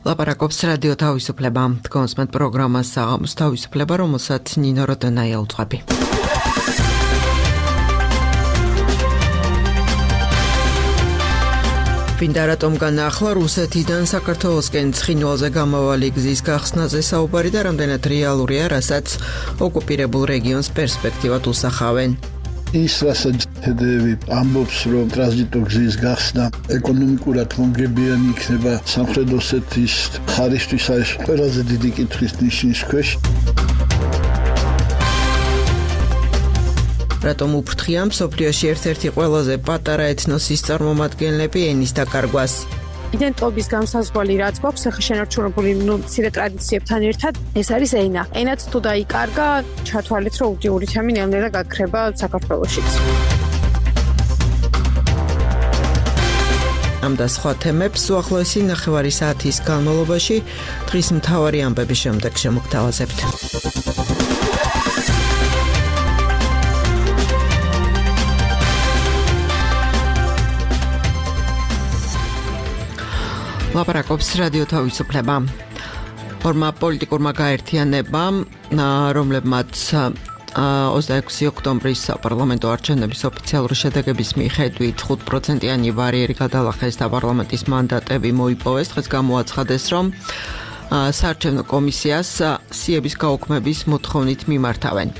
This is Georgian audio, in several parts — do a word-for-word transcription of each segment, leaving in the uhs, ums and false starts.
ლაპარაკობს რადიო თავისუფლება. თქვენს მეტ პროგრამას საღამოს თავისუფლება, რომელსაც ნინო როდონაია უძღვები. ვინდა რატომ განაახლა რუსეთიდან საქართველოსკენ ცხინვალზე გამავალი გზის გახსნაზე საუბარი და რამდენად რეალურია, რასაც ოკუპირებულ რეგიონს პერსპექტივად უსახავენ. ის რასაც თედევი ამბობს, რომ ტრანზიტო გზის გახსნა ეკონომიკურად მომგებიანი იქნება სამხრეთ ოსეთის ხარისთვის, არის ყველაზე დიდი კითხვის ნიშნის ქვეშ. რატომ უფრთხია მსოფლიოში ერთ-ერთი ყველაზე პატარა ეთნოსის წარმომადგენლები ენის დაკარგვას? იდენტობის განსაზღვარი რაც გვაქვს ახლა შენარჩუნებული მცირე ტრადიციებთან ერთად, ეს არის ენა. ენაც თუ დაიკარგა, ჩათვალეთ, რომ უდიური თემი ნელ-ნელა გაქრება საქართველოშიც. ამ და სხვა თემებს უახლოესი ნახევარი საათის განმავლობაში დღის მთავარი ამბების შემდეგ შემოგთავაზებთ. ლაპარაკობს რადიო თავისუფლება. ორმა პოლიტიკურმა გაერთიანებამ, რომლებმაც ოცდაექვსი ოქტომბრის საპარლამენტო არჩევნების ოფიციალური შედეგების მიხედვით ხუთ პროცენტიანი ბარიერი გადალახეს და პარლამენტის მანდატები მოიპოვეს, დღეს გამოაცხადეს, რომ საარჩევნო კომისიას სიების გაუქმების მოთხოვნით მიმართავენ.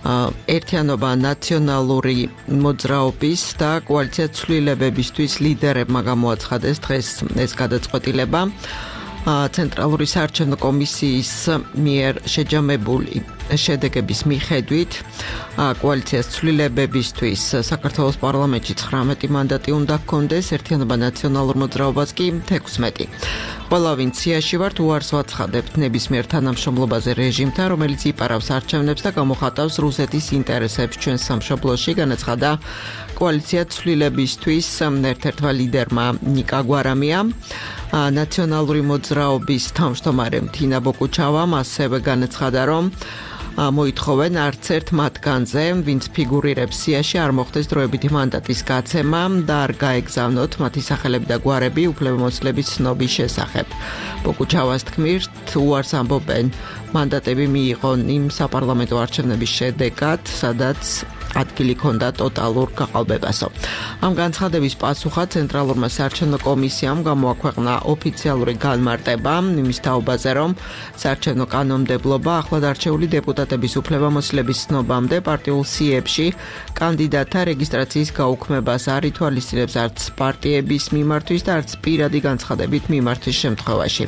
ერთიანობა ნაციონალური მოძრაობის და კოალიცია ცვლილებებისთვის ლიდერებმა გამოაცხადეს დღეს ეს გადაწყვეტილება. ცენტრალური საარჩევნო კომისიის მიერ შეჯამებული შედეგების მიხედვით კოალიციას ცვლილებებისთვის საქართველოს პარლამენტში ცხრამეტი მანდატი უნდა ჰქონდეს, ერთიანობა ნაციონალურ მოძრაობას კი თექვსმეტი. ყველა ვინც სიაში ვართ, უარს ვაცხადებთ ნებისმიერ თანამშრომლობაზე რეჟიმთან, რომელიც იპარავს არჩევნებს და გამოხატავს რუსეთის ინტერესებს ჩვენ სამშობლოში, განაცხადა კოალიცია ცვლილებისთვის ერთ-ერთმა ლიდერმა ნიკა გვარამიამ. ნაციონალური მოძრაობის თავმჯდომარე თინა ბოკუჩავამ ასევე განაცხადა, რომ მოითხოვენ არც ერთ მათგანზე, ვინც ფიგურირებს სიაში, არ მოხდეს დროებითი მანდატის გაცემა და არ გაეგზავნოთ მათი სახელები და გვარები უფლებამოსილების ცნობის შესახებ. ბოკუჩავას თქმით, უარს ამბობენ მანდატები მიიღონ იმ საპარლამენტო არჩევნების შედეგად, სადაც ადგილი ჰქონდა ტოტალურ გაყალბებასო. ამ განცხადების პასუხად ცენტრალურმა საარჩევნო კომისიამ გამოაქვეყნა ოფიციალური განმარტება იმის თაობაზე, რომ საარჩევნო კანონმდებლობა ახლად არჩეული დეპუტატების უფლებამოსილების ცნობამდე პარტიულ სიებში კანდიდატთა რეგისტრაციის გაუქმებას არ ითვალისწინებს არც პარტიების მიმართვის და არც პირადი განცხადებით მიმართვის შემთხვევაში.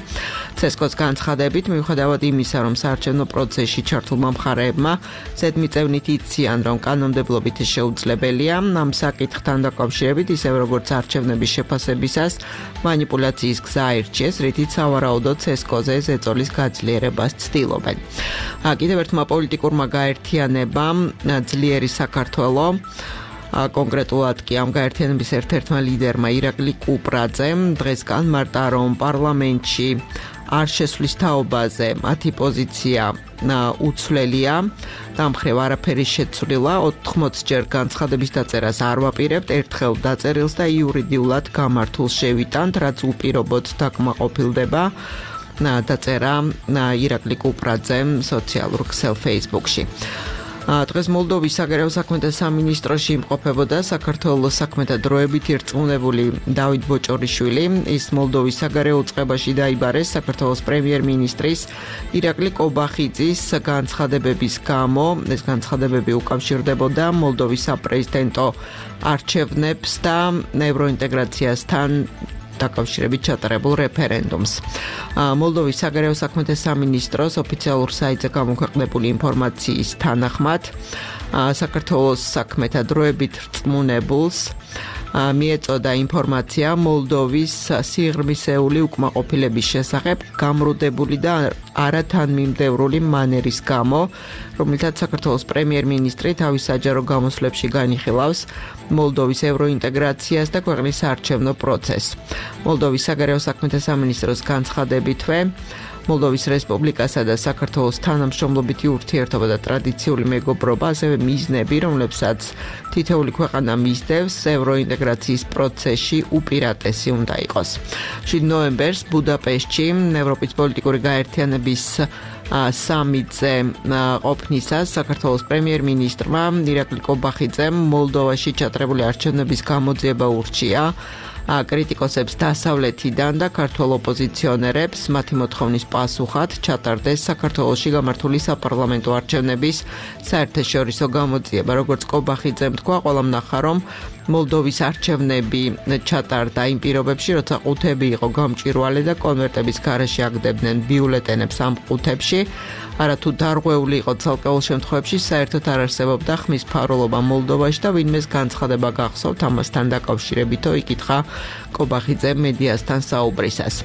ცესკოს განცხადებით, მიუხედავად იმისა, რომ საარჩევნო პროცესში ჩართულმა მხარეებმა ზედმიწევნით იციან, რომ კანონმდებლობით შეუძლებელია ამ საკითხთან დაკავშირებით, ისევე როგორც არჩევნების შეფასებისას მანიპულაციის გზა აირჩიეს, რითიც სავარაუდოდ ცესკოზე ზეწოლის გაძლიერებას ცდილობენ. კიდევ ერთმა პოლიტიკურმა გაერთიანებამ ძლიერი საქართველო, კონკრეტულად კი ამ გაერთიანების ერთ-ერთმა ლიდერმა ირაკლი კუპრაძემ დღეს განმარტა, რომ პარლამენტში არ შესვლის თაობაზე მათი პოზიცია უცვლელია, დამხრევ არაფერი შეცვლილა, ოთხმოცჯერ განცხადების დაწერას არ ვაპირებთ, ერთხელ დაწერილს და იურიდიულად გამართულს შევიტანთ, რაც უპირობოდ დაკმაყოფილდება, დაწერა ირაკლი კუპრაძემ სოციალურ ქსელ Facebook-ში. დღეს მოლდოვის საგარეო საქმეთა სამინისტროში იმყოფებოდა საქართველოს საქმეთა დროებით ირწმუნებული დავით ბოჭორიშვილი. ის მოლდოვის საგარეო უწყებაში დაიბარეს საქართველოს პრემიერ-მინისტრის ირაკლი კობახიძის განცხადებების გამო. ეს განცხადებები უკავშირდებოდა მოლდოვის საპრეზიდენტო არჩევნებს და ევროინტეგრაციასთან დაკავშირებით ჩატარებულ რეფერენდუმს. მოლდოვის საგარეო საქმეთა სამინისტროს ოფიციალურ საიტზე გამოქვეყნებული ინფორმაციის თანახმად, საქართველოს საქმეთა დროებით რწმუნებულს მიეწოდა ინფორმაცია მოლდოვის სიღრმისეული უკმაყოფილების შესახებ გამრუდებული და არათანმიმდევრული მანერის გამო, რომელთაც საქართველოს პრემიერ-მინისტრი თავის საჯარო გამოსვლებში განიხილავს მოლდოვის ევროინტეგრაციას და ქვეყნის საარჩევნო პროცესს. მოლდოვის საგარეო საქმეთა სამინისტროს განცხადებითვე მოლდოვის რესპუბლიკასა და საქართველოს თანამშრომლობითი ურთიერთობა და ტრადიციული მეგობრობა, ასევე მიზნები, რომლებსაც თითოეული ქვეყანა მისდევს ევროინტეგრაციის პროცესში უპირატესი უნდა იყოს. შვიდი ნოემბერს ბუდაპეშტში ევროპის პოლიტიკური გაერთიანების სამიტზე ყოფნისას საქართველოს პრემიერ-მინისტრმა ირაკლი კობახიძემ მოლდოვაში ჩატარებული არჩევნების გამოძიება ურჩია კრიტიკოსებს დასავლეთიდან და ქართველ ოპოზიციონერებს მათი მოთხოვნის პასუხად ჩატარდეს საქართველოში გამართული საპარლამენტო არჩევნების საერთაშორისო გამოძიება. როგორც კობახიძემ თქვა, ყველამ ნახა, რომ მოლდოვის არჩევნები ჩატარდა იმ პირობებში, როცა ყუთები იყო გამჭვირვალე და კონვერტების გარეშე აგდებდნენ ბიულეტენებს ამ ყუთებში. არათუ დარღვეული იყო ცალკეულ შემთხვევებში საერთოდ არ არსებობდა ხმის ფარულობა მოლდოვაში და ვინმეს განცხადება გახსოვთ ამასთან დაკავშირებითო იკითხა კობახიძემ მედიასთან საუბრისას.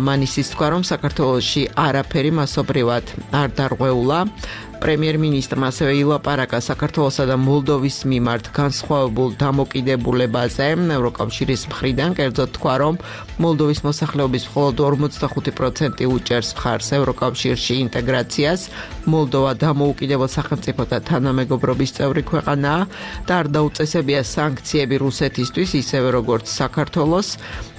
მან ისიც თქვა, რომ საქართველოში არაფერი მასობრივად არ დარღვეულა. პრემიერ-მინისტრმა ასევე ილაპარაკა საქართველოსა და მოლდოვის მიმართ განსხვავებულ დამოკიდებულებაზე ევროკავშირის მხრიდან, კერძოდ თქვა, რომ მოლდოვის მოსახლეობის მხოლოდ ორმოცდახუთი პროცენტი უჭერს მხარს ევროკავშირში ინტეგრაციას. მოლდოვა დამოუკიდებელ სახელმწიფოთა თანამეგობრობის წევრი ქვეყანაა და არ დაუწესებია სანქციები რუსეთისთვის, ისევე როგორც საქართველოს.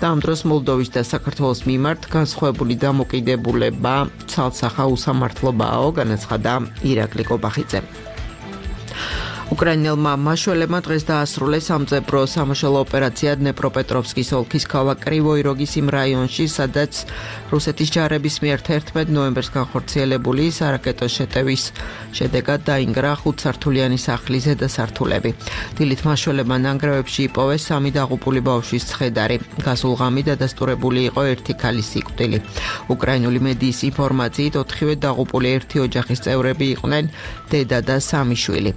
და ამ დროს მოლდოვის და საქართველოს მიმართ განსხვავებული დამოკიდებულება ცალსახა უსამართლობაო, განაცხადა ირაკლი კობახიძემ. უკრაინელმა მაშველებმა დღეს დაასრულეს სამძებრო სამაშველო ოპერაცია დნეპროპეტროვსკის ოლქის ქალაქ კრივოი როგის იმ რაიონში, სადაც რუსეთის ჯარების მიერ თერთმეტ ნოემბერს განხორციელებული სარაკეტო შეტევის შედეგად დაინგრა ხუთსართულიანი სახლის ზედასართულები. დილით მაშველებმა ნანგრევებში იპოვეს სამი დაღუპული ბავშვის ცხედარი. გასულ ღამით დადასტურებული იყო ერთი ქალის სიკვდილი. უკრაინული მედიის ინფორმაციით ოთხივე დაღუპული ერთი ოჯახის წევრები იყვნენ, დედა და სამი შვილი.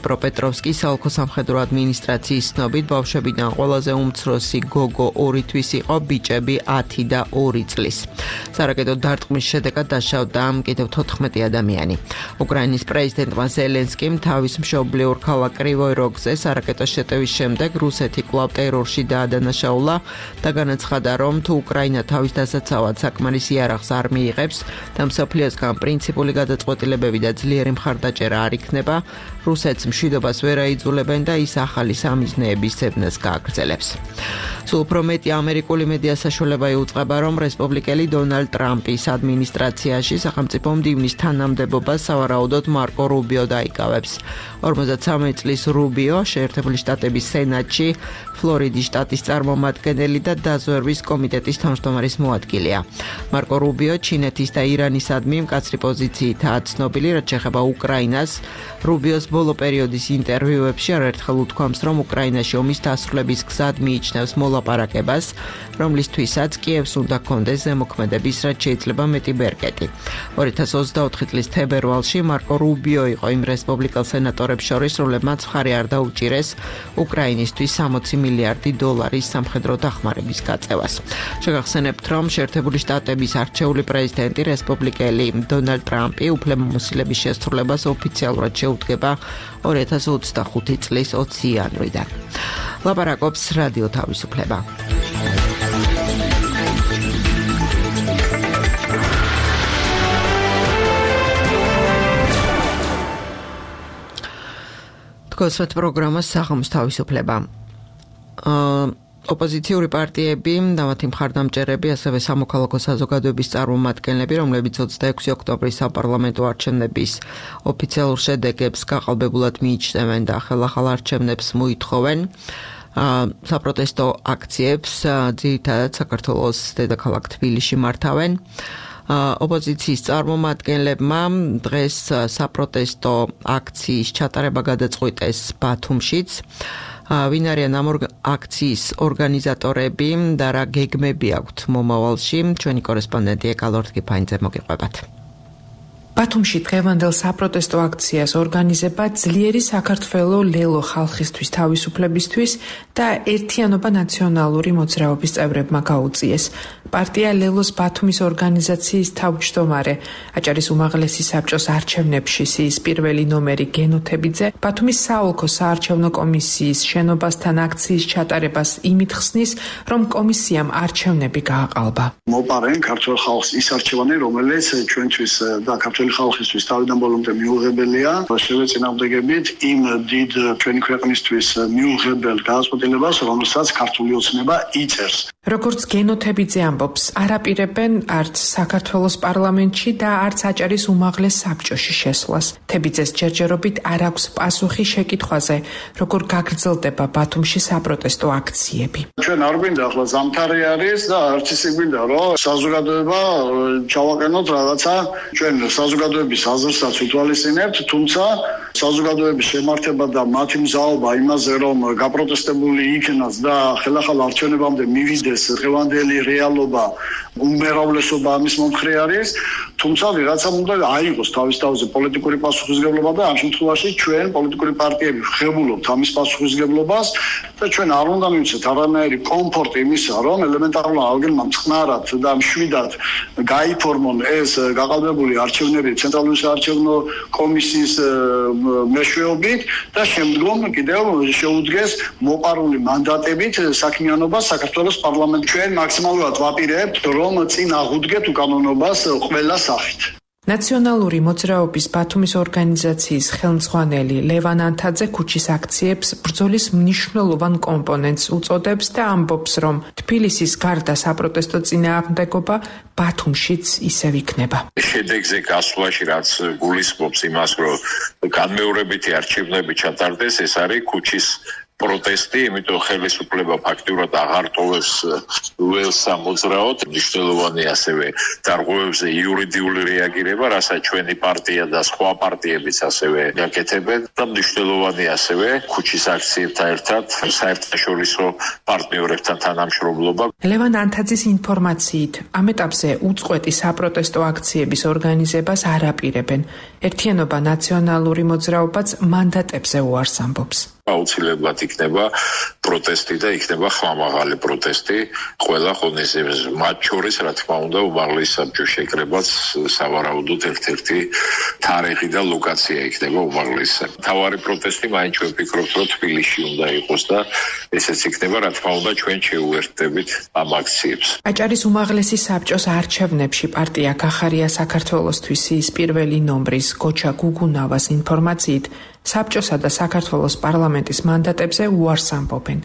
დნეპროპეტროვსკის საოლქო სამხედრო ადმინისტრაციის ცნობით ბავშვებიდან ყველაზე უმცროსი გოგო ორი თვის იყო, ბიჭები ათი და ორი წლის. სარაკეტო დარტყმის შედეგად დაშავდა კიდევ თოთხმეტი ადამიანი. უკრაინის პრეზიდენტმა ზელენსკიმ თავის მშობლიურ ქალაქ კრივოი როგზე სარაკეტო შეტევის შემდეგ რუსეთი კვლავ ტერორში დაადანაშაულა და განაცხადა, რომ თუ უკრაინა თავის დასაცავად საკმარის იარაღს არ მიიღებს და მსოფლიოსგან პრინციპული გადაწყვეტილებები და ძლიერი მხარდაჭერა არ იქნება, რუსეთს მშვიდობას ვერ აიძულებენ და ის ახალი სამიზნეების ცოდნას გააგრძელებს. სულ უფრო მეტი ამერიკული მედია საშუალება იუწყება, რომ რესპუბლიკელი დონალდ ტრამპის ადმინისტრაციაში სახელმწიფო მდივნის თანამდებობას სავარაუდოდ მარკო რუბიო დაიკავებს. ორმოცდასამი წლის რუბიო შეერთებული შტატების სენატში ფლორიდის შტატის წარმომადგენელი და დაზვერვის კომიტეტის თავმჯდომარის მოადგილეა. მარკო რუბიო ჩინეთის და ირანისადმი მკაცრი პოზიციითაა ცნობილი, რაც შეეხება უკრაინას. რუბიოს ბოლო პერიოდის ინტერვიუებში არაერთხელ უთქვამს, რომ უკრაინაში ომის დასრულების გზად მიიჩნევს მოლაპარაკებას, რომლისთვისაც კიევს უნდა ჰქონდეს ზემოქმედების, რაც შეიძლება მეტი ბერკეტი. ორი ათას ოცდაოთხი წლის თებერვალში მარკო რუბიო იყო იმ რესპუბლიკელ სენატორებს შორის, რომლებმაც მხარი არ დაუჭირეს უკრაინისთვის სამოცი მილიარდი დოლარის სამხედრო დახმარების გაწევას. შეგახსენებთ, რომ შეერთებული შტატების არჩეული პრეზიდენტი რესპუბლიკელი დონალდ ტრამპი უფლებამოსილების შესრულებას ოფიციალურად შეუდგება ორი ათას ოცდახუთი წლის ოცი იანვრიდან. ლაპარაკობს რადიო თავისუფლება. თქვენს პროგრამას საღამოს თავისუფლება. ოპოზიციური პარტიები და მათი მხარდამჭერები, ასევე სამოქალაქო საზოგადოების წარმომადგენლები, რომლებიც ოცდაექვსი ოქტომბრის საპარლამენტო არჩევნების ოფიციალურ შედეგებს გაყალბებულად მიიჩნევენ და ხელახალ არჩევნებს მოითხოვენ. საპროტესტო აქციებს ძირითადად საქართველოს დედაქალაქ თბილისში მართავენ. ოპოზიციის წარმომადგენლებმა დღეს საპროტესტო აქციის ჩატარება გადაწყვიტეს ბათუმშიც. ვინ არიან ამ აქციის ორგანიზატორები და რა გეგმები აქვთ მომავალში? ჩვენი კორესპონდენტი ეკალორდ კიფაინძე მოგიყვებათ. ბათუმში დღევანდელ საპროტესტო აქციას ორგანიზება ძლიერი საქართველო ლელო ხალხისთვის თავისუფლებისთვის და ერთიანობა ნაციონალური მოძრაობის წევრებმა გაუწიეს. პარტია ლელოს ბათუმის ორგანიზაციის თავმჯდომარე, აჭარის უმაღლესი საბჭოს არჩევნებში სიის პირველი ნომერი გენოთებიძე ბათუმის საოლქო საარჩევნო კომისიის შენობასთან აქციის ჩატარებას იმით ხსნის, რომ კომისიამ არჩევნები გააყალბა. მოპარენ ქართულ ხალხს ის არჩევანი, რომელიც ჩვენთვის და ქართული ხალხისთვის თავიდან ბოლომდე მიუღებელია, შევეწინააღმდეგებით იმ დიდ ჩვენი ქვეყნისთვის მიუღებელ გადაწყვეტილებას, რომელსაც ქართული ოცნება იწერს. როგორც გენოთებიძე ამბობს, არაპირებენ არც საქართველოს პარლამენტში და არც აჭარის უმაღლეს საბჭოში შესვლას. თებიძეს ჯერჯერობით არ აქვს პასუხი შეკითხვაზე, როგორ გაგრძელდება ბათუმში საპროტესტო აქციები. ჩვენ არ გვინდა ახლა ზამთარი არის და არც ისე გვინდა, რომ საზოგადოება ჩავაყენოთ რაღაცა ჩვენ საზოგადოების აზრსაც უთვალისწინებთ, თუმცა საზოგადოების შემართება და მათი მზაობა იმაზე, რომ გაპროტესტებული იქნას და ხელახალ არჩევნებამდე მივიდეს დღევანდელი რეალობა, უმრავლესობა ამის მომხრე არის, თუმცა ვიღაცამ უნდა აიღოს თავის თავზე პოლიტიკური პასუხისმგებლობა და ამ შემთხვევაში ჩვენ პოლიტიკური პარტიები ვხებულობთ ამის პასუხისმგებლობას და ჩვენ არ უნდა მივცეთ არანაირი კომფორტი იმისა, რომ ელემენტარულად ალგენმა მწყნარად და მშვიდად გაიფორმონ ეს გაყალბებული არჩევნები ცენტრალური საარჩევნო კომისიის მეშვეობით და შემდგომ კიდევ შეუდგეს მოპარული მანდატებით საქმიანობას საქართველოს პარლამენტში. ჩვენ მაქსიმალურად ვაპირებთ, რომ წინ აღუდგეთ უკანონობას ყველა სახით. ნაციონალური მოძრაობის ბათუმის ორგანიზაციის ხელმძღვანელი ლევან ანთაძე ქუჩის აქციებს ბრძოლის მნიშვნელოვან კომპონენტს უწოდებს და ამბობს, რომ თბილისის გარდა საპროტესტო წინააღმდეგობა ბათუმშიც ისევ იქნება. შედეგზე გასვლაში რაც გულისხმობს იმას, რომ განმეორებითი არჩევნები ჩატარდეს, ეს არის ქუჩის პროტესტი, იმიტომ ხელისუფლება ფაქტიურად აღარ ტოვებს ველს სამოძრაოდ, მნიშვნელოვანი ასევე დარღვევებზე იურიდიული რეაგირება, რასაც ჩვენი პარტია და სხვა პარტიებიც ასევე გაკეთებენ და მნიშვნელოვანი ასევე ქუჩის აქციებთან ერთად საერთაშორისო პარტნიორებთან თანამშრომლობა. ლევან ანთაძის ინფორმაციით, ამ ეტაპზე უწყვეტი საპროტესტო აქციების ორგანიზებას არ აპირებენ. ერთიანობა ნაციონალური მოძრაობაც მანდატებზე უარს ამბობს. აუცილებლად იქნება პროტესტი და იქნება ხმამაღალი პროტესტი ყველა ღონისძიებაზე. მათ შორის, რა თქმა უნდა, უმაღლეს საბჭოს შეკრებაც სავარაუდოდ ერთ-ერთი თარიღი და ლოკაცია იქნება უმაღლეს საბჭოს. თავარი პროტესტი მაინც ჩვენ ვფიქრობთ, რომ თბილისში უნდა იყოს და ესეც იქნება, რა თქმა უნდა, ჩვენ შევუერთდებით ამ აქციებს. აჭარის უმაღლესი საბჭოს არჩევნებში პარტია გახარია საქართველოსთვის ის პირველი ნომრის გოჩა გუგუნავას ინფორმაციით საბჭოსა და საქართველოს პარლამენტის მანდატებზე უარს ამბობენ.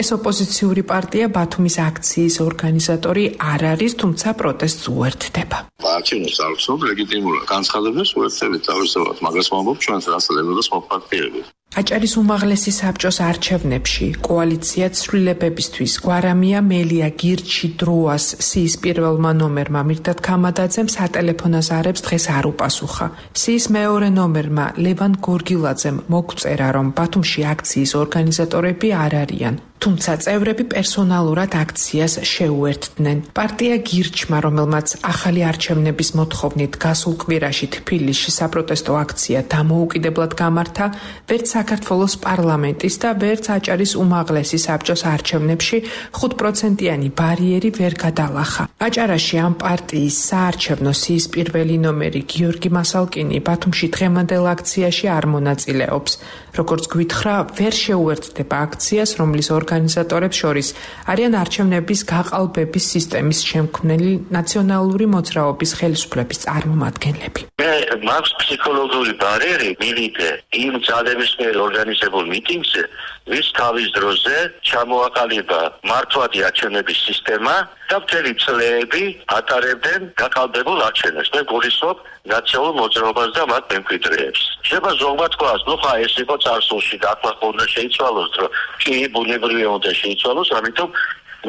ეს ოპოზიციური პარტია ბათუმის აქციის ორგანიზატორი არ არის, თუმცა პროტესტს უერთდება. არჩევნებს არ ვცნობ ლეგიტიმურად. განცხადებას უერთდებით თავისთავად, მაგას ვამბობ ჩვენს რასალებებას მოპარტიებით. აჭარის უმაღლესი საბჭოს არჩევნებში კოალიცია ცვლილებებისთვის გვარამია მელია გირჩი დროას სიის პირველმა ნომერმა მირდად ქამადაძემ სატელეფონო ზარებს დღეს არ უპასუხა. სიის მეორე ნომერმა ლევან გორგილაძემ მოგწერა, რომ ბათუმში აქციის ორგანიზატორები არ არიან. თუმცა წევრები პერსონალურად აქციას შეუერთდნენ. პარტია გირჩმა, რომელმაც ახალი არჩევნების მოთხოვნით გასულ კვირაში თბილისში საპროტესტო აქცია დამოუკიდებლად გამართა, ვერც საქართველოს პარლამენტის და ვერც აჭარის უმაღლესი საბჭოს არჩევნებში ხუთ პროცენტიანი ბარიერი ვერ გადალახა. აჭარაში ამ პარტიის საარჩევნო სიის პირველი ნომერი გიორგი მასალკინი ბათუმში დღევანდელ აქციაში არ მონაწილეობს. როგორც გვითხრა, ვერ შეუერთდება აქციას, რომლის ორგანიზატორებს შორის არიან არჩევნების გაყალბების სისტემის შემქმნელი ნაციონალური მოძრაობის ხელისუფლების წარმომადგენლები. მე მაქვს ფსიქოლოგიური ბარიერი მივიდე იმ ძალების მიერ ორგანიზებულ მიტინგზე, ვის თავის დროზე ჩამოაყალიბა მართვადი არჩევნების სისტემა და მთელი წლები ატარებდნენ გაყალბებულ არჩევნებს. მე გულისხმობ ნაციონალურ მოძრაობას და მათ მემკვიდრეებს. შეიძლება ზოგმა თქვას, ნუ ხა ეს იყო წარსულში და ახლა უნდა შეიცვალოს, რომ კი ბუნებრივია უნდა შეიცვალოს, ამიტომ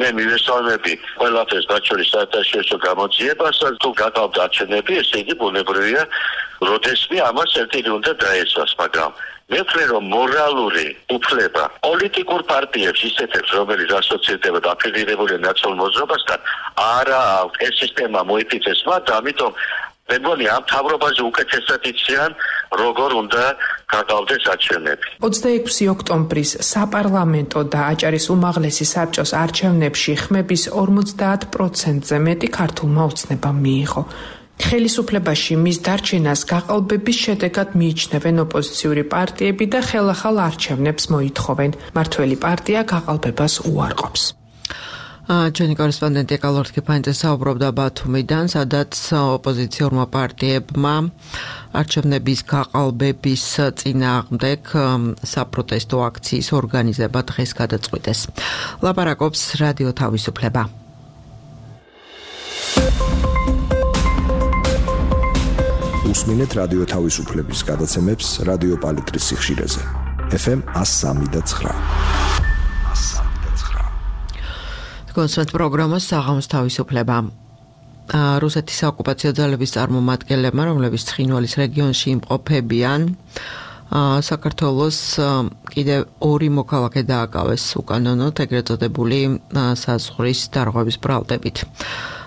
მე მივესალმები ყველაფერს, მათ შორის საერთაშორისო გამოძიებასაც, თუ გაკავდა არჩევნები, ესე იგი ბუნებრივია, როდესმე ამას ერთილი უნდა დაეცვას, მაგრამ მე ვფიქრე, რომ მორალური უფლება პოლიტიკურ პარტიებს ისეთებს, რომელიც ასოცირდება და აფილირებულია ნაციონალურ მოძრაობასთან, არა, ეს სისტემა მოიფიცეს მათ, ამიტომ მე მგონი ამ თავრობაზე უკეთესად იციან როგორ უნდა გაგავდეს არჩევნები. ოცდაექვსი ოქტომბრის საპარლამენტო და აჭარის უმაღლესი საბჭოს არჩევნებში ხმების ორმოცდაათ პროცენტზე მეტი ქართულმა ოცნებამ მიიღო. ხელისუფლებაში მის დარჩენას გაყალბების შედეგად მიიჩნევენ ოპოზიციური პარტიები და ხელახალ არჩევნებს მოითხოვენ. მართველი პარტია გაყალბებას უარყოფს. ჩვენი კორესპონდენტი კალორთ კიფანიძე საუბრობდა ბათუმიდან, სადაც ოპოზიციურმა პარტიებმა არჩევნების გაყალბების წინააღმდეგ საპროტესტო აქციის ორგანიზება დღეს გადაწყვიტეს. ლაპარაკობს რადიო თავისუფლება. უსმინეთ რადიო თავისუფლების გადაცემებს რადიო პალიტრის სიხშირეზე. ეფ ემ one oh three point nine. კონსერტ პროგრამას საღამოს თავისუფლება. რუსეთის საოკუპაციო ძალების წარმომადგენლებმა, რომლებიც ცხინვალის რეგიონში იმყოფებიან, საქართველოს კიდევ ორი მოქალაქე დააკავეს უკანონოდ ეგრეთ წოდებული საზღვრის დარღვევის ბრალდებით.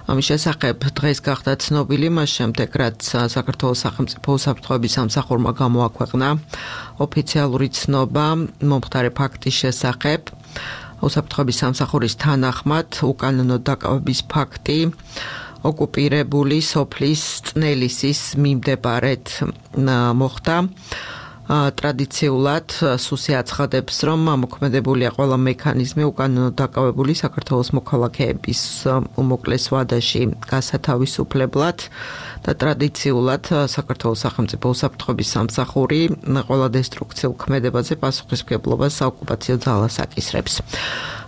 ამის შესახებ დღეს გახდა ცნობილი მას შემდეგ, რაც საქართველოს სახელმწიფო უსაფრთხოების სამსახურმა გამოაქვეყნა ოფიციალური ცნობა მომხდარი ფაქტის შესახებ. უსაფრთხოების სამსახურის თანახმად უკანონო დაკავების ფაქტი ოკუპირებული სოფლის წნელისის მიმდებარედ მოხდა. ტრადიციულად სუსი აცხადებს, რომ მოქმედებულია ყველა მექანიზმი უკანონო დაკავებული საქართველოს მოქალაქეების უმოკლეს ვადაში გასათავისუფლებლად და ტრადიციულად საქართველოს სახელმწიფო უსაფრთხოების სამსახური ყველა დესტრუქციულ ქმედებაზე პასუხისმგებლობას საოკუპაციო ძალას აკისრებს.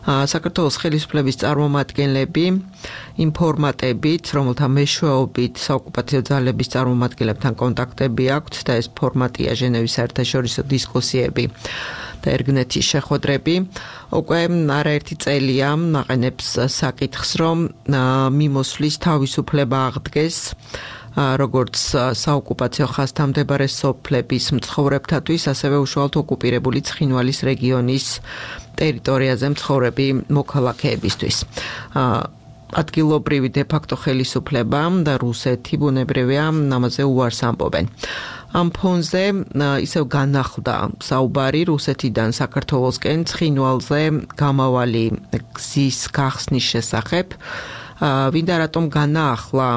საქართველოს ხელისუფლების წარმომადგენლები ინფორმატებით, რომელთა მეშვეობით საოკუპაციო ძალების წარმომადგენლებთან კონტაქტები აქვთ და ეს ფორმატია ჟენევის საერთაშორისო დისკუსიები და ერგნეთის შეხვედრები, უკვე არაერთი წელია აყენებს საკითხს, რომ მიმოსვლის თავისუფლება აღდგეს როგორც საოკუპაციო ხაზთან მდებარე სოფლების მცხოვრებთათვის, ასევე უშუალოდ ოკუპირებული ცხინვალის რეგიონის ტერიტორიაზე მცხოვრები მოქალაქეებისთვის. ადგილობრივი დე-ფაქტო ხელისუფლება და რუსეთი ბუნებრივია ამაზე უარს ამბობენ. ამ ფონზე ისევ განახლდა საუბარი რუსეთიდან საქართველოსკენ ცხინვალზე გამავალი გზის გახსნის შესახებ. ვინდა რატომ განაახლა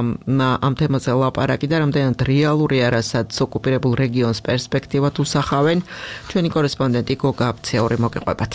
ამ თემაზე ლაპარაკი და რამდენად რეალურია, რასაც ოკუპირებულ რეგიონს პერსპექტივად უსახავენ, ჩვენი კორესპონდენტი გოგა აბცეური მოგიყვებათ.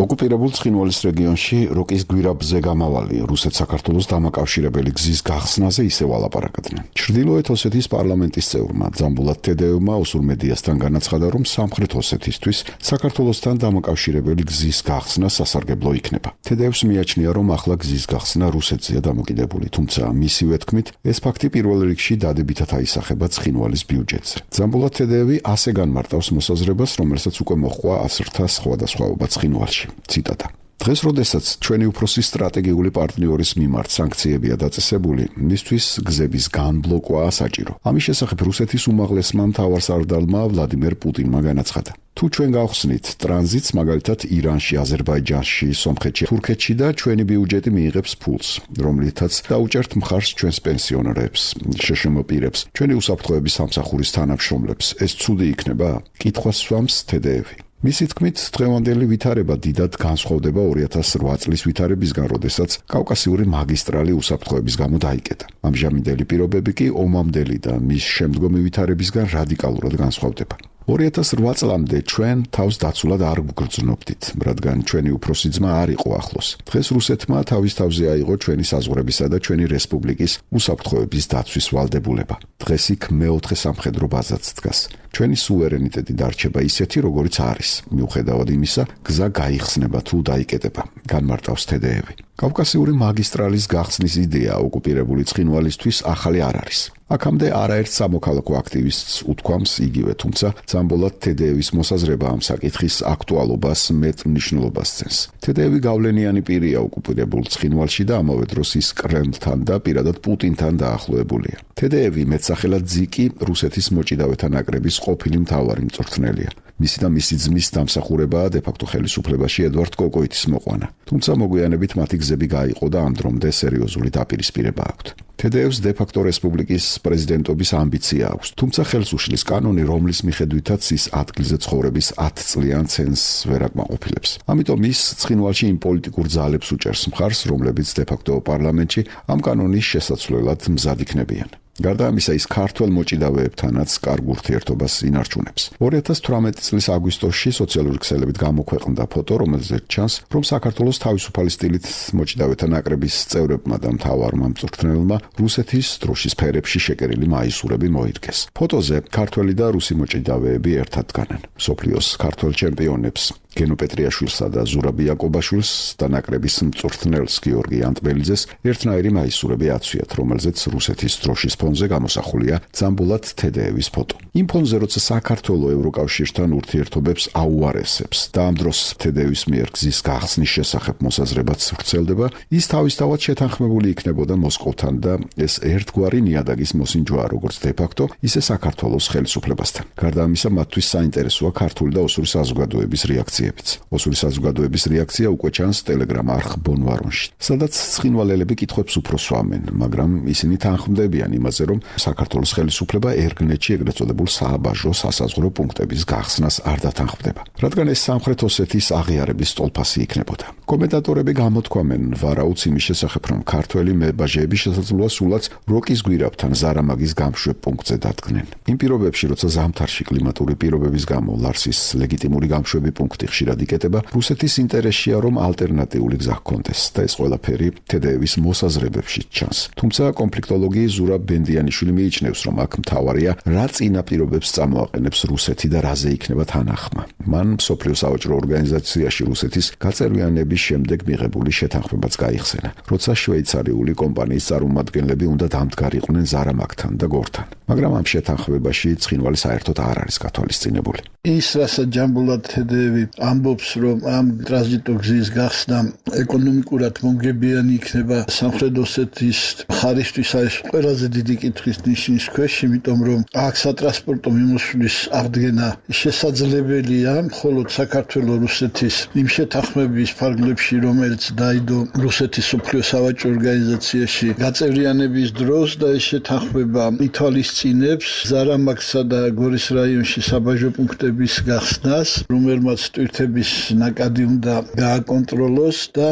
ოკუპირებულ ცხინვალის რეგიონში როკის გვირაბზე გამავალი რუსეთ-საქართველოს დამაკავშირებელი გზის გახსნაზე ისევ ალაპარაკდნენ. ჩრდილოეთ ოსეთის პარლამენტის წევრმა ძამბულათ თედეევმა ოსურ მედიასთან განაცხადა, რომ სამხრეთ ოსეთისთვის საქართველოსთან დამაკავშირებელი გზის გახსნა სასარგებლო იქნება. თედეევს მიაჩნია, რომ ახლა გზის გახსნა რუსეთზეა დამოკიდებული, თუმცა მისივე თქმით, ეს ფაქტი პირველ რიგში დადებითად აისახება ცხინვალის ბიუჯეტზე. ძამბულათ თედეევი ასე განმარტავს მოსაზრებას, რომელსაც უკვე მოჰყვა ასრთა სხვადასხვაობა ცხინვალში. ციტატა. დღეს, როდესაც ჩვენი უფროსი სტრატეგიული პარტნიორის მიმართ სანქციებია დაწესებული, მისთვის გზების განბლოკვაა საჭირო. ამის შესახებ რუსეთის უმაღლესმა მთავარსარდალმა ვლადიმერ პუტინმა განაცხადა. თუ ჩვენ გავხსნით ტრანზიტს, მაგალითად ირანში, აზერბაიჯანში, სომხეთში, თურქეთში და ჩვენი ბიუჯეტი მიიღებს ფულს, რომლითაც დაუჭერთ მხარს ჩვენს პენსიონერებს, შეშმ პირებს, ჩვენი უსაფრთხოების სამსახურის თანამშრომლებს, ეს ცუდი იქნება? კითხვას სვამს თედეევი. მისი თქმით, დღევანდელი ვითარება დიდად განსხვავდება ორი ათას რვა წლის ვითარებისგან, როდესაც კავკასიური მაგისტრალი უსაფრთხოების გამო დაიკეტა. ამჟამინდელი პირობები კი ომამდელი და მის შემდგომი ვითარებისგან რადიკალურად განსხვავდება. ორი ათას რვა წლამდე ჩვენ თავს დაცულად არ გვგრძნობდით, რადგან ჩვენი უფროსი ძმა არ იყო ახლოს. დღეს რუსეთმა თავის თავზე აიღო ჩვენი საზღვრებისა და ჩვენი რესპუბლიკის უსაფრთხოების დაცვის ვალდებულება. დღეს იქ მეოთხე სამხედრო ბაზაც დგას. ჩვენი სუვერენიტეტი დარჩება ისეთი, როგორიც არის. მიუხედავად იმისა, გზა გაიხსნება თუ დაიკეტება, განმარტავს თედეევი. კავკასიური მაგისტრალის გახსნის იდეა ოკუპირებული ცხინვალისთვის ახალი არ არის. აქამდე არაერთ სამოქალაქო აქტივისტს უთქვამს იგივე, თუმცა ძამბოლათ თედეევის მოსაზრება ამ საკითხის აქტუალობას მეტ მნიშვნელობას ცენს. თედეევი გავლენიანი პირია ოკუპირებულ ცხინვალში და ამავე დროს ის კრემლთან და პირადად პუტინთან დაახლოებულია. თედეევი მეტსახელად ძიკი რუსეთის მოჭიდავეთა ნაკრების ყოფილი მთავარი მწვრთნელია. მისი და მისი ძმის დამსახურებაა დე-ფაქტო ხელისუფლებაში ედვარდ კოკოიტის მოყვანა. თუმცა მოგვიანებით მათი გზები გაიყო და ამ დრომდე სერიოზული დაპირისპირება აქვთ. თე დე ევს დე-ფაქტო რესპუბლიკის პრეზიდენტობის ამბიცია აქვს, თუმცა ხელს უშლის კანონი, რომლის მიხედვითაც ის ადგილზე ცხოვრების ათი წლიან ცენს ვერ აკმაყოფილებს. ამიტომ ის ცხინვალში იმ პოლიტიკურ ძალებს უჭერს მხარს, რომლებიც დე-ფაქტო პარლამენტში ამ კანონის შესაცვლელად მზად იქნებიან. გარდა ამისა, ის ქართველ მოჭიდავეებთანაც კარგ ურთიერთობას ინარჩუნებს. ორი ათას თვრამეტი წლის აგვისტოში სოციალური ქსელებით გამოქვეყნდა ფოტო, რომელზეც ჩანს, რომ საქართველოს თავისუფალი სტილით მოჭიდავეთა ნაკრების წევრებმა და მთავარმა მწვრთნელმა რუსეთის დროშის ფერებში შეკერილი მაისურები მოირგეს. ფოტოზე ქართველი და რუსი მოჭიდავეები ერთად დგანან. მსოფლიოს ქართველ ჩემპიონებს გენო პეტრიაშვილსა და ზურაბ იაკობაშვილს და ნაკრების მწვრთნელს გიორგი ანტბელიძეს ერთნაირი მაისურები აცვიათ, რომელზეც რუსეთის დროშის ფონზე გამოსახულია ძამბულად თე დე ევის ფოტო. იმ ფონზე, როცა საქართველო ევროკავშირთან ურთიერთობებს აუარესებს და ამ დროს თე დე ევის მიერ გზის გახსნის შესახებ მოსაზრებაც ვრცელდება, ის თავისთავად შეთანხმებული იქნებოდა მოსკოვთან და ეს ერთგვარი ნიადაგის მოსინჯოა როგორც დე-ფაქტო, ისე საქართველოს ხელისუფლებასთან. გარდა ამისა, მათთვის საინტერესოა ქართული და ოსური საზოგადოების რეაქცია. ოსური საზოგადოების რეაქცია უკვე ჩანს ტელეგრამ არხ ბონვარონში, სადაც ცხინვალელები კითხვებს უფრო სვამენ, მაგრამ ისინი თანხმდებიან იმაზე, რომ საქართველოს ხელისუფლება ერგნეტში ეგრეთ წოდებულ სააბაჟო სასაზღვრო პუნქტების გახსნას არ დათანხმდება, რადგან ეს სამხრეთ ოსეთის აღიარების სტოლფასი იქნებოდა. კომენტატორები გამოთქვამენ ვარაუდს იმის შესახებ, რომ ქართველი მებაჟეები შესაძლოა სულაც როკის გვირაბთან ზარამაგის გამშვებ პუნქტზე დადგნენ. იმ პირობებში, როცა ზამთარში კლიმატური პირობების გამო ლარსის ლეგიტიმური გამშვები პუნქტი ხშირად იკეტება, რუსეთის ინტერესია, რომ ალტერნატიული გზა ჰქონდეს და ეს ყველაფერი თე დე ევის მოსაზრებებში ჩანს. თუმცა კონფლიქტოლოგი ზურაბ ბენდიანიშვილი მიიჩნევს, რომ აქ მთავარია რა წინაპირობებს წამოაყენებს რუსეთი და რაზე იქნება თანახმა. მან მსოფლიო სავაჭრო ორგანიზაციაში რუსეთის გაწევრიანების შემდეგ მიღებული შეთანხმებაც გაიხსენა, როცა შვეიცარიული კომპანიის წარმომადგენლები უნდა დამდგარიყვნენ ზარამაგთან და გორთან. მაგრამ ამ შეთანხმებაში ცხინვალი საერთოდ არ არის გათვალისწინებული. ის რასაც ჯამბულად თე დე ევი ამბობს, რომ ამ ტრანზიტო გზის გახსნა ეკონომიკურად მომგებიანი იქნება სამხრეთ ოსეთის მხარისთვის, არის ყველაზე დიდი კითხვის ნიშნის ქვეშ, იმიტომ რომ აქ სატრანსპორტო მიმოსვლის აღდგენა შესაძლებელია მხოლოდ საქართველოს რუსეთის იმ შეთანხმების ფარგლებში, რომელიც დაიდო რუსეთის მსოფლიო სავაჭრო ორგანიზაციაში გაწევრიანების დროს და ეს შეთანხმება ითვალისწინებს ზარამაგსა და გორის რაიონში საბაჟო პუნქტების გახსნას, რომელმაც ტვირთების ნაკადი უნდა გააკონტროლოს და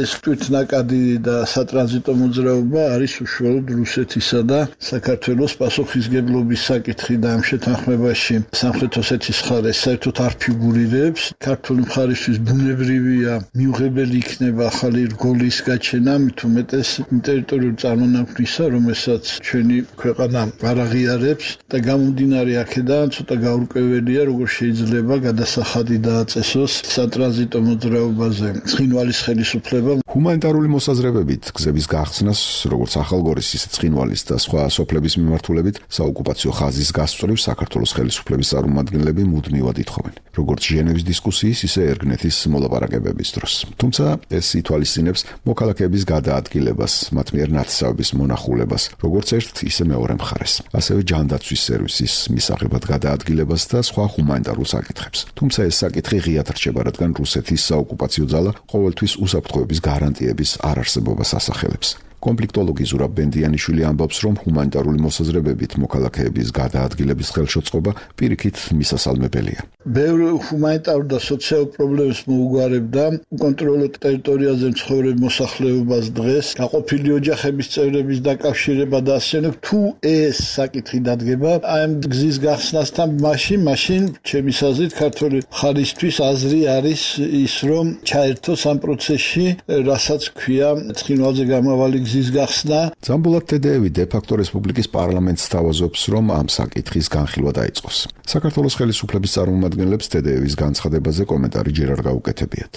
ეს ტვირთნაკადი და სატრანზიტო მოძრაობა არის უშუალოდ რუსეთისა და საქართველოს პასუხისგებლობის საკითხი და ამ შეთანხმებაში სამხრეთ ოსეთის მხარეს საერთოდ არ ფიგურირებს. ქართული მხარისთვის ბუნებრივია მიუღებელი იქნება ახალი რგოლის გაჩენა, მით უმეტეს იმ ტერიტორიულ წარმონაქმნისა, რომელსაც ჩვენი ქვეყანა არ აღიარებს და გამომდინარე აქედან ცოტა გაურკვეველია, როგორ შეიძლება გადასახადი დააწესოს სატრანზიტო მოძრაობაზე ცხინვალის ხელისუფლებამ. ჰუმანიტარული მოსაზრებებით გზების გახსნას, როგორც ახალგორის, ისე ცხინვალის და სხვა სოფლების მიმართულებით საოკუპაციო ხაზის გასწვრივ საქართველოს ხელისუფლების წარმომადგენლები მუდმივად ითხოვენ, როგორც ჟენევის დისკუსიის, ისე ერგნეთის მოლაპარაკებების დროს. თუმცა ეს ითვალისწინებს მოქალაქეების გადაადგილებას, მათ მიერ ნათესავების მონახულებას, როგორც ერთ, ისე მეორე მხარეს, ასევე ჯანდაცვის სერვისის მისაღებად გადაადგილებას და სხვა ჰუმანიტარულ საკითხებს. თუმცა ეს საკითხი ღიად რჩება, რადგან რუსეთის საოკუპაციო ძალა ყოველთვის უსაფრთხოების გარანტიების არარსებობას ასახელებს. კონფლიქტოლოგი ზურაბ ბენდიანიშვილი ამბობს, რომ ჰუმანიტარული მოსაზრებებით მოქალაქეების გადაადგილების ხელშეწყობა პირიქით მისასალმებელია. ბევრი ჰუმანიტარულ და სოციალურ პრობლემებს მოუგვარებდა უკონტროლო ტერიტორიაზე მცხოვრებ მოსახლეობას დღეს, გაყოფილი ოჯახების წევრების დაკავშირება და ასე. თუ ეს საკითხი დადგება ამ გზის გახსნასთან, მაშინ მაშინ ჩემი აზრით ქართული მხარისთვის აზრი არის ის, რომ ჩაერთოს ამ პროცესში, რასაც ქვია ცხინვალზე გამავალი გზის გახსნა. ძამბულად თე დე ევი დე-ფაქტო რესპუბლიკის პარლამენტს თავაზობს, რომ ამ საკითხის განხილვა დაიწყოს. საქართველოს ხელისუფლების წარმომადგენლებს თე დე ევის განცხადებაზე კომენტარი ჯერ არ გაუკეთებიათ.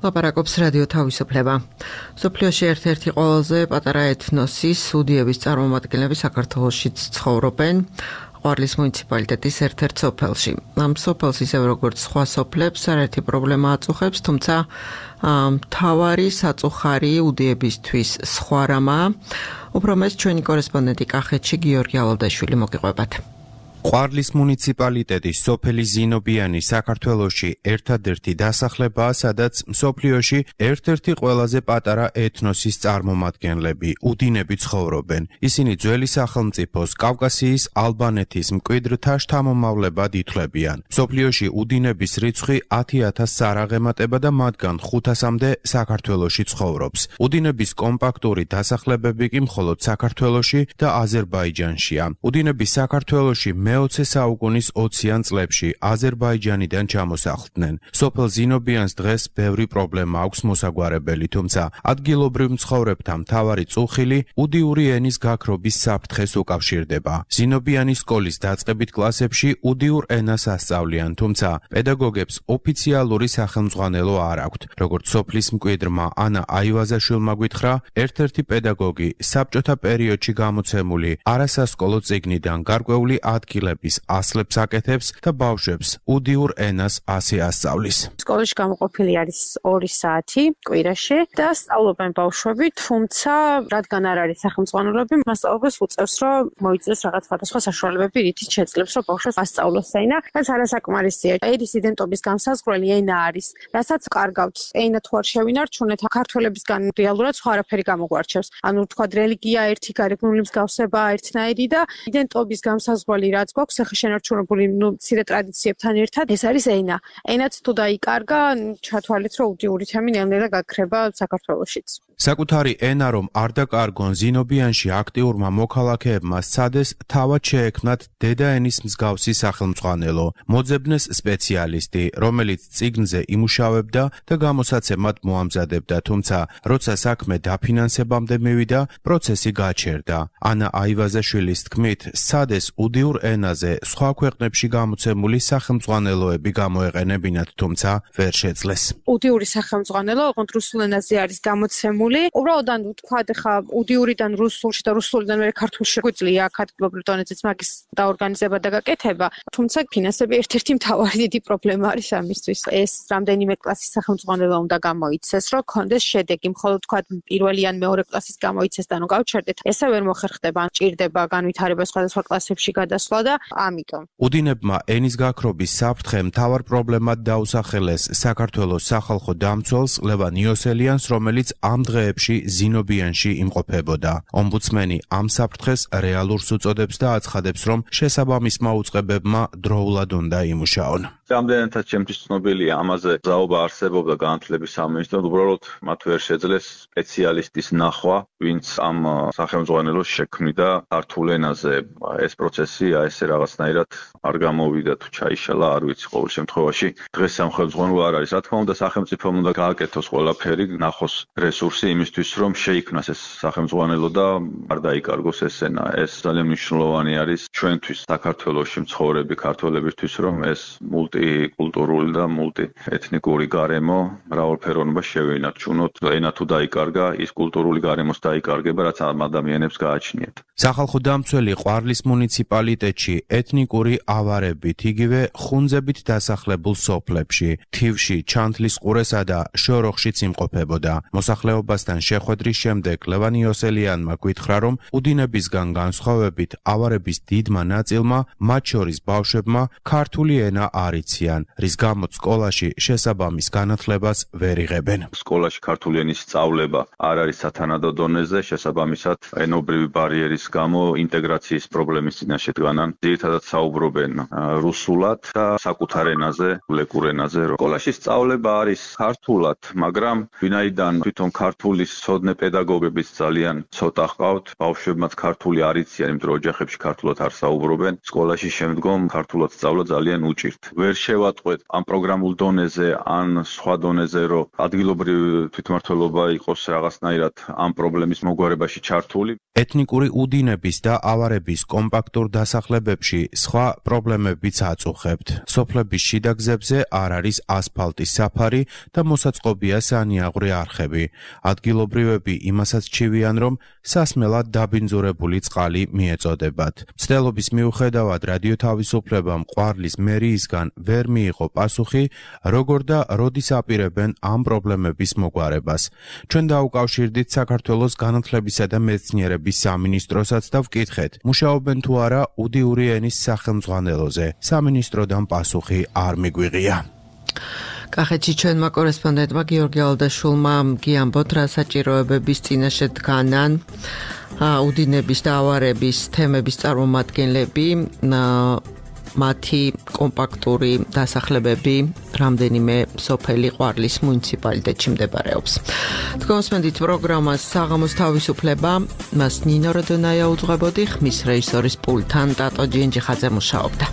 ლაპარაკობს რადიო თავისუფლება. სოფლიოში ერთ-ერთი ყველაზე პატარა ეთნოსი სუდიების წარმომადგენლები საქართველოშიც ცხოვრობენ. ყვარლის მუნიციპალიტეტის ერთ-ერთ სოფელში. ამ სოფელს ისევ როგორც სხვა სოფლებს არაერთი პრობლემა აწუხებს, თუმცა მთავარი საწუხარი უდიებისთვის სხვა რამაა. უფრო მეტ ჩვენი კორესპონდენტი კახეთში გიორგი ალავდაშვილი მოგიყვებათ. ყვარლის მუნიციპალიტეტის სოფელი ზინობიანი საქართველოში ერთადერთი დასახლებაა, სადაც მსოფლიოში ერთ-ერთი ყველაზე პატარა ეთნოსის წარმომადგენლები, უდინები ცხოვრობენ. ისინი ძველი სახელმწიფოს კავკასიის ალბანეთის მკვიდრთა შთამომავლებად ითვლებიან. მსოფლიოში უდინების რიცხვი ათი ათასს არ აღემატება და მათგან ხუთასამდე საქართველოში ცხოვრობს. უდინების კომპაქტური დასახლებები კი მხოლოდ საქართველოში და აზერბაიჯანშია. უდინები საქართველოში მეოცე საუკუნის ოციან წლებში აზერბაიჯანიდან ჩამოსახლდნენ. სოფელ ზინობიანს დღეს ბევრი პრობლემა აქვს მოსაგვარებელი, თუმცა ადგილობრივ მცხოვრებთა მთავარი წუხილი უდიური ენის გაქრობის საფრთხეს უკავშირდება. ზინობიანის სკოლის დაწყებით კლასებში უდიურ ენას ასწავლიან, თუმცა პედაგოგებს ოფიციალური სახელმძღვანელო არ აქვთ. როგორც სოფლის მკვიდრმა ანა აივაზაშვილმა გითხრა, ერთ-ერთი პედაგოგი საბჭოთა პერიოდში გამოცემული არასასკოლო წიგნიდან გარკვეული ადგილების ასლებს აკეთებს და ბავშვებს უდიურ ენას ასე ასწავლის. სკოლაში გამოყოფილი არის ორი საათი კვირაში და სწავლობენ ბავშვები, თუმცა რადგან არ არის სახელმძღვანელოები, მასწავლებლებს უწევს, რომ მოიწეს რაღაც სხვადასხვა საშუალებები, რითიც შეძლებს, რომ ბავშვებს ასწავლოს ენა, რაც არასაკმარისია. ერის იდენტობის განსაზღვრელი ენა არის, რასაც კარგავთ. ენა თუ არ შევინარჩუნეთ, ქართველებისგან რეალურად სხვა არაფერი გამოგვარჩევს. ანუ თქვა რელიგია ერთი, გარეგნული მსგავსება ერთნაირი და იდენტობის განსაზღვრელი რაც გვაქვს ახლა შენარჩუნებული ნუ მცირე ტრადიციებთან ერთად ეს არის ენა. ენაც თუ დაიკარგა, ჩათვალეთ, რომ უდიური თემი ნელ-ნელა გაქრება საქართველოშიც. საკუთარი ენა რომ არ დაკარგონ, ზინობიანში აქტიურმა მოქალაქეებმა სცადეს თავად შეექმნათ დედაენის მსგავსი სახელმძღვანელო, მოძებნეს სპეციალისტი, რომელიც წიგნზე იმუშავებდა და გამოსაცემად მოამზადებდა, თუმცა როცა საქმე დაფინანსებამდე მივიდა, პროცესი გაჩერდა. ანა აივაზაშვილის თქმით, სცადეს უდიურ ენაზე სხვა ქვეყნებში გამოცემული სახელმძღვანელოები გამოეყენებინათ, თუმცა ვერ შეძლეს. უდიური სახელმძღვანელო ოღონდ რუსულ ენაზე არის გამოცემული. უბრალოდ ან ვთქვათ, ხა უდიურიდან რუსულში და რუსულიდან მე ქართულში გვიძლია ადგილობრივ დონეზეც მაგის დაორგანიზება და გაკეთება, თუმცა ფინანსები ერთ-ერთი მთავარი დიდი პრობლემა არის ამისთვის. ეს რამდენიმე კლასის სახელმძღვანელო უნდა გამოიცეს, რომ კონდეს შედეგი, მხოლოდ ვთქვათ პირველი ან მეორე კლასის გამოიცეს და ნუ გავჩერდეთ. ესე ვერ მოხერხდება, ჭირდება განვითარება სხვადასხვა კლასებში გადასვლა და ამიტომ. უდინებმა ენის გაქრობის საფრთხე მთავარ პრობლემად დაუსახელეს საქართველოს სახალხო დამცველს ლევან იოსელიანს, რომელიც ამ დღეებში ზინობიანში იმყოფებოდა. ომბუდსმენი ამ საფრთხეს რეალურს უწოდებს და აცხადებს, რომ შესაბამისმა უწყებებმა დროულად უნდა იმუშაონ. რამდენადაც ჩემთვის ცნობილია, ამაზე ზაობა არსებობდა განათლების სამინისტროს, უბრალოდ მათ ვერ შეძლეს სპეციალისტის ნახვა, ვინც ამ სახელმძღვანელოს შექმნიდა ქართულ ენაზე. ეს პროცესი ესე რაღაცნაირად არ გამოვიდა თუ ჩაიშალა, არ ვიცი, ყოველ შემთხვევაში დღეს სახელმძღვანელო არ არის. რა თქმა უნდა, სახელმწიფომ უნდა გააკეთოს ყველაფერი, ნახოს რესურსი იმისთვის, რომ შეიქმნას ეს სახელმძღვანელო და არ დაიკარგოს ეს ენა. ეს ძალიან მნიშვნელოვანი არის ჩვენთვის, საქართველოში მცხოვრები ქართველებისთვის, რომ ეს მულტიკულტურული და მულტიეთნიკური გარემო მრავალფეროვნება შევინარჩუნოთ. ენა თუ დაიკარგა, ის კულტურული გარემოს დაიკარგება, რაც ამ ადამიანებს გააჩნიათ. სახალხო დამცველი ყვარლის მუნიციპალიტეტში ეთნიკური ავარებით, იგივე ხუნძებით დასახლებულ სოფლებში, თივში, ჩანთლის ყურესა და შოროხშიც იმყოფებოდა. მოსახლეობასთან შეხვედრის შემდეგ ლევან იოსელიანმა გითხრა, რომ უდინებისგან განსხვავებით ავარების დიდმა ნაწილმა, მათ შორის ბავშვებმა, ქართული ენა არ იციან, რის გამოც სკოლაში შესაბამის განათლებას ვერ იღებენ. სკოლაში ქართული ენის სწავლება არ არის სათანადო დონეზე, შესაბამისად ენობრივი ბარიერის გამო ინტეგრაციის პრობლემის წინაშე დგანან. ძირითადად საუბრობენ რუსულად და საკუთარ ენაზე, ლეკურ ენაზე. სკოლაში სწავლება არის ქართულად, მაგრამ ვინაიდან თვითონ ქართულის ცოდნე პედაგოგებიც ძალიან ცოტა ჰყავთ, ბავშვებმაც ქართული არ იციან, იმიტომ რომ ოჯახებში ქართულად არ საუბრობენ. სკოლაში შემდგომ ქართულად სწავლა ძალიან უჭირთ. ვერ შევატყვეთ ამ პროგრამულ დონეზე ან სხვა დონეზე, რომ ადგილობრივი თვითმმართველობა იყოს რაღაცნაირად ამ პრობლემის მოგვარებაში ჩართული. ეთნიკური უდინების და ავარების კომპაქტურ დასახლებებში სხვა პრობლემებიც აწუხებთ. სოფლების შიდა გზებზე არ არის ასფალტის საფარი და მოსაწყობია სანიაღვრე არხები. ადგილობრივები იმასაც ჩივიან, რომ სასმელად დაბინძურებული წყალი მიეწოდებათ. მცდელობის მიუხედავად რადიო თავისუფლებამ ყვარლის მერიისგან ვერ მიიღო პასუხი, როგორ და როდის აპირებენ ამ პრობლემების მოგვარებას. ჩვენ დაუკავშირდით საქართველოს განათლებისა და მეცნიერების სამინისტროსაც და ვკითხეთ, მუშაობენ თუ არა უდიური ენის სახელმძღვანელოზე. სამინისტროდან პასუხი არ მიგვიღია. კახეთში ჩვენმა კორესპონდენტმა გიორგი ალდაშულმა გიამბოთ, რა საჭიროებების წინაშე დგანან უდინების და ავარების თემების წარმომადგენლები, მათი კომპაქტური დასახლებები რამდენიმე სოფელი ყვარლის მუნიციპალიტეტში მდებარეობს. თქვენსმენდით პროგრამას საღამოს თავისუფლება, მას ნინო როდონაია უძღვებოდი, ხმის რეჟისორის პულტთან ტატო ჯინჯიხაძე მუშაობდა.